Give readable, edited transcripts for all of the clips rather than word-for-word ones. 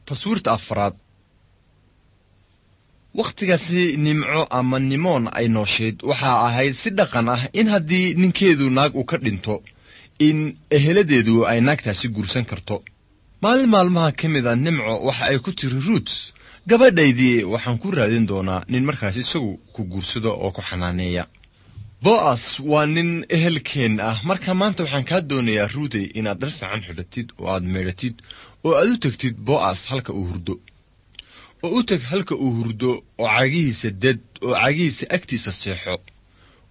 Taswiirta afraad. Wakhtigaasi nimco ama nimoon ay nooshayd waxaa ahayd si dhaqan ah in haddii ninkeedu naag uu ka dhinto in eheladeedu ay naagtaasi guursan karto. Maalin maalmaha ka mid a Nimco waxa ay ku tiri Ruut, gabadhaydii waxaan ku raadin doonaa nin markaas isagu ku guursado oo ku xanaaneeya. Bo'as waa nin ehelkeen ah, marka maanta waxaan kaa doonayaa Ruutey inaad dhar fiican xidhatid oo aad meedhatid oo aad u tegtid Bo'as halka uu hurdo. Oo u teg halka uu hurdo oo cagihiisa ded oo cagihiisa agtiisa seexo.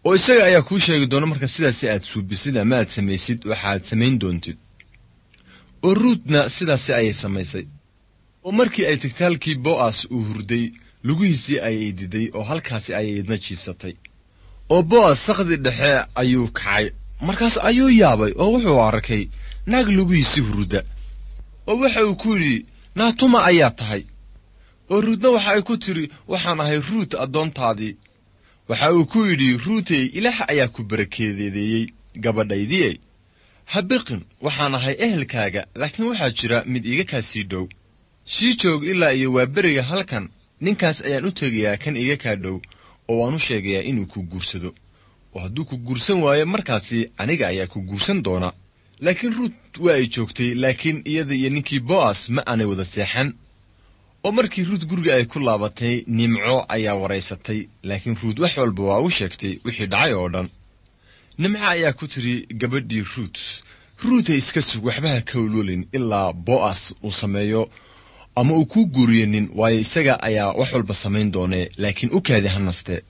Oo isaga ayaa kuu sheegi doona marka sidaasi aad suubisid ama aad samaysid waxaad samayn doontid. Oo Ruutna sidaasi ayay samaysay. Oo markii ay tegtay halkii Bo'as uu hurday, lugihiisii ayay diday oo halkaasi ayay idna jiibsatay. Oo Bo'as saqdi dhexe ayuu kacay, markaas ayuu yaabay oo wuxuu arkay naag lugihiisii hurda. Oo waxa uu ku yidhi, naatuma ayaa tahay? Oo Ruutna waxa ay ku tidhi, waxaan ahay Ruut addoontaadii. Waxa uu ku yidhi, Ruutey, Ilaah ayaa ku barakeedeeyey gabadhaydii. Ha biqin, waxaan ahay ehelkaaga, laakiin waxaa jira mid iiga kaa sii dhow. Sii joog ilaa iyo waaberiga halkan, ninkaas ayaan u tegayaa kan iiga kaa dhow, oo waan u sheegayaa inuu ku guursado. Oo hadduu ku guursan waayo markaasi aniga ayaa ku guursan doona. Laakiin Ruut waa ay joogtay, laakiin iyada iyo ninkii Bo'as ma aanay wada seexan. Oo markii Ruut guriga ay ku laabatay, Nimco ayaa waraysatay, laakiin Ruut wax walba waa u sheegtay wixii dhacay oo dhan. Nimco ayaa ku tidhi gabadhii Ruut, Ruutay iska sug, waxba ha ka ololin ilaa Bo'as uu sameeyo ama uu kuu guuriyo nin, waayo isaga ayaa wax walba samayn doonee, laakiin u kaadi ha naste.